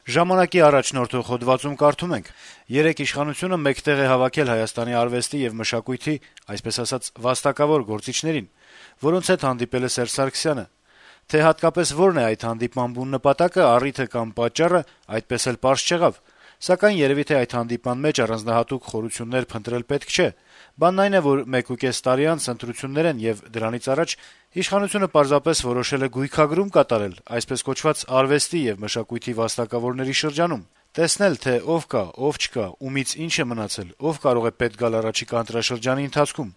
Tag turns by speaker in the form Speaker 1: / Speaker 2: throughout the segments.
Speaker 1: Ժամանակի առաջնորդող հոդվածում կարդում ենք. - «Երեկ իշխանությունը մեկտեղ է հավաքել Հայաստանի արվեստի եւ մշակույթի, այսպես ասած, վաստակավոր գործիչներին, որոնց հետ հանդիպել է Սերժ Սարգսյանը: Թե հատկապես որն է այդ հանդիպման բուն նպատակը, առիթը կամ պատճառը, այդպես էլ պարզ չեղավ, սակայն երեւի թե այդ հանդիպման մեջ առանձնահատուկ խորություններ փնտրել պետք չէ: Բանն այն է, որ 1.5 տարի անց ընտրություններ են, եւ դրանից առաջ իշխանությունը պարզապես որոշել է գույքագրում կատարել այսպես կոչված արվեստի եւ մշակույթի վաստակավորների շրջանում: Տեսնել, թե ով կա, ով չկա, ումից ինչ է մնացել, ով կարող է պետք գալ առաջիկա ընտրաշրջանի ընթացքում: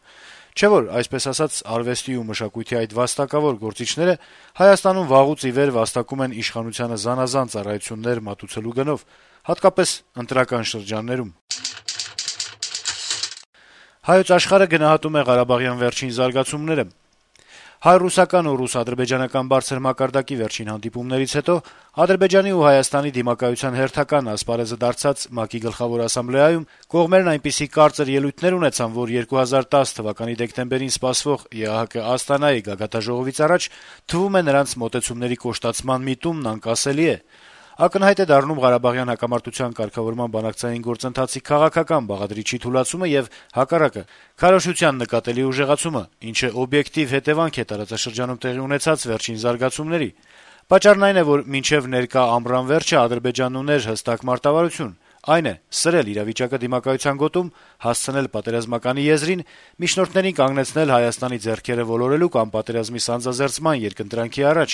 Speaker 1: Չէ՞ որ, այսպես ասած, արվեստի ու մշակույթի այդ վաստակավոր գործիչները Հայաստանում վաղուց ի վեր վաստակում են իշխանությանը զանազան ծառայություններ մատուցելու գնով, հատկապես ընտրական շրջաններում»: «Հայոց Աշխարհ»-ը գնահատում է ղարաբաղյան վերջին զարգացումները. - «Հայ-ռուսական ու ռուս-ադրբեջանական բարձր մակարդակի վերջին հանդիպումներից հետո Ադրբեջանի ու Հայաստանի դիմակայության հերթական ասպարեզը դարձած ՄԱԿ-ի Գլխավոր ասամբլեայում կողմերն այնպիսի կարծր ելույթներ ունեցան, որ 2010 թվականի դեկտեմբերին սպասվող ԵԱՀԿ Աստանայի գագաթնաժողովից առաջ թվում է նրանց մոտեցումների կոշտացման միտումն անկասելի է: Ակնհայտ է դառնում Ղարաբաղյան հակամարտության կարգավորման բանակցային գործընթացի քաղաքական բաղադրիչի թուլացումը եւ, հակառակը, քարոզչության նկատելի ուժեղացումը, ինչը օբյեկտիվ հետեւանք է տարածաշրջանում տեղի ունեցած վերջին զարգացումների: Պատճառն այն է, որ մինչեւ ներկա ամռան վերջը Ադրբեջանն ուներ հստակ մարտավարություն, այն է՝ սրել իրավիճակը դիմակայության գոտում, հասցնել պատերազմականի եզրին, միջնորդներին կանգնեցնել Հայաստանի ձեռքերը ոլորելու կամ պատերազմի սանձազերծման երկընտրանքի առաջ: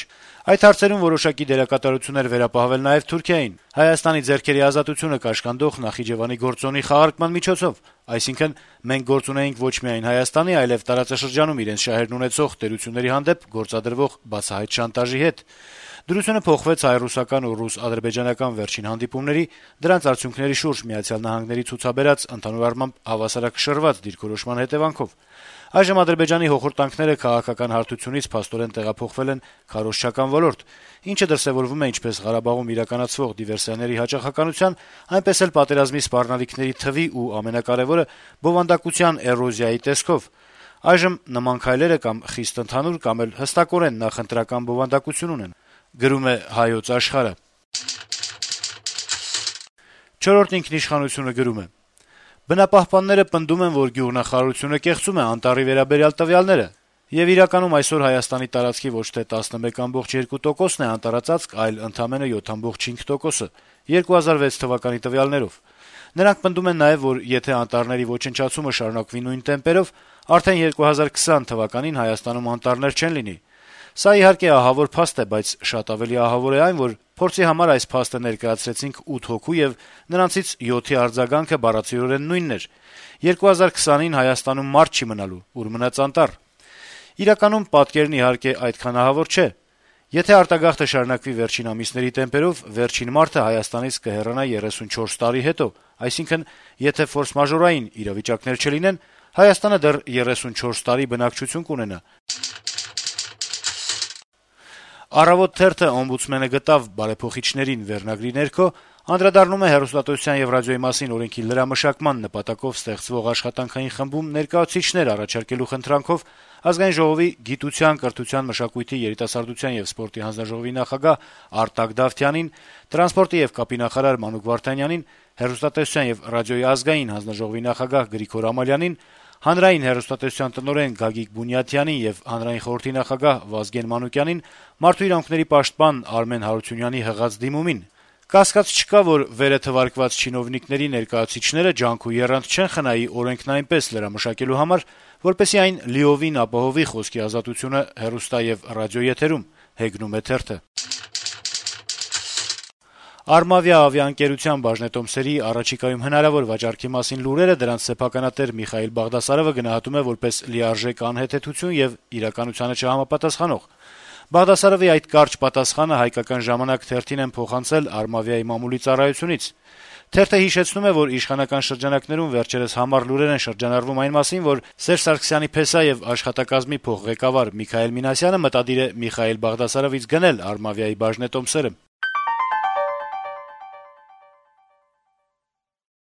Speaker 1: Այդ հարցերում որոշակի դերակատարություն էր վերապահվել նաեւ Թուրքիային՝ Հայաստանի ձեռքերի ազատությունը կաշկանդող Նախիջեվանի գործոնի խաղարկման միջոցով: Այսինքն՝ մենք գործ ունեինք ոչ միայն Հայաստանի, այլեւ տարածաշրջանում իրենց շահերն ունեցող տերությունների հանդեպ գործադրվող բացահայտ շանտաժի հետ: Դրությունը փոխվեց հայ-ռուսական ու ռուս-ադրբեջանական վերջին հանդիպումների, դրանց արդյունքների շուրջ ԱՄՆ-ի ցուցաբերած ընդհանուր առմամբ հավասարակշռված դիրքորոշման հետեւանքով: Այժմ Ադրբեջանի հոխորտանքները քաղաքական հարթությունից փաստորեն տեղափոխվել են քարոզչական ոլորտ, ինչը դրսեւորվում է ինչպես Ղարաբաղում իրականացվող դիվերսիաների հաճախականության, այնպես էլ պատերազմի սպառնալիքների թվի ու, ամենակարեւորը, բովանդակության էրոզիայի տեսքով: Այժմ նման քայլերը կամ խիստ ընդհանուր, կամ էլ հստակորեն նախընտրական բովանդակություն ունեն»: «Չորրորդ ինքնիշխանություն»-ը գրում է. - «Բնապահպանները պնդում են, որ գյուղնախարարությունը կեղծում է անտառի վերաբերյալ տվյալները, եւ իրականում այսօր Հայաստանի տարածքի ոչ թե 11.2%-ն է անտառածածկ, այլ ընդամենը 7.5%-ը՝ 2006 թվականի տվյալներով: Նրանք պնդում են նաեւ, որ եթե անտառների ոչնչացումը շարունակվի նույն տեմպերով, արդեն 2020 թվականին Հայաստանում անտառներ չեն լինի: Սա, իհարկե, ահավոր փաստ է, բայց շատ ավելի ահավոր է այն, որ փորձի համար այս փաստը ներկայացրեցինք 8 հոգու, եւ նրանցից 7-ի արձագանքը բառացիորեն նույնն էր՝ 2020-ին Հայաստանում մարդ չի մնալու, ուր մնաց անտառ: Իրականում պատկերն, իհարկե, այդքան ահավոր չէ: Եթե արտագաղթը շարունակվի վերջին ամիսների տեմպերով, վերջին մարդը Հայաստանից կհեռանա 34 տարի հետո, այսինքն՝ եթե ֆորսմաժորային իրավիճակներ չլինեն, Հայաստանը դեռ 34 տարի բնակչություն կունենա»: «Առավոտ» թերթը «Օմբուդսմենը գտավ բարեփոխիչներին» վերնագրի ներքո անդրադառնում է հեռուստատեսության եւ ռադիոյի մասին օրենքի լրամշակման նպատակով ստեղծվող աշխատանքային խմբում ներկայացուցիչներ առաջարկելու խնդրանքով Ազգային ժողովի գիտության, կրթության, մշակույթի, երիտասարդության եւ սպորտի հանձնաժողովի նախագահ Արտակ Դավթյանին, տրանսպորտի եւ կապի նախարար Մանուկ Վարդանյանին, հեռուստատեսության եւ ռադիոյի ազգային հանձնաժողովի նախագահ Գրիգոր Ամալյանին, հանրային հեռուստատեսության տնօրեն Գագիկ Բունյաթյանին եւ Հանրային խորհրդի նախագահ Վազգեն Մանուկյանին մարդու իրավունքների պաշտպան Արմեն Հարությունյանի հղած դիմումին: Կասկած չկա, որ վերը թվարկված չինովնիկների ներկայացուցիչները ջանք ու եռանդ չեն խնայի օրենքն այնպես լրամշակելու համար, որպեսզի այն լիովին ապահովի խոսքի ազատությունը հեռուստա եւ ռադիոեթերում: «Արմավիա» ավիաընկերության բաժնետոմսերի առաջիկայում հնարավոր վաճառքի մասին լուրերը դրանց սեփականատեր Միխայիլ Բաղդասարովը գնահատում է որպես լիարժեք անհեթեթություն եւ իրականությանը չհամապատասխանող: Բաղդասարովի այդ կարճ պատասխանը «Հայկական ժամանակ» թերթին են փոխանցել «Արմավիա»-ի մամուլի ծառայությունից: Թերթը հիշեցնում է, որ իշխանական շրջանակներում վերջերս համառ լուրեր են շրջանառվում այն մասին, որ Սերժ Սարգսյանի փեսա եւ աշխատակազմի փոխղեկավար Միքայել Մինասյանը մտադիր է Միխայիլ Բաղդասարովից գնել «Արմավիա»-ի բաժնետոմսերը: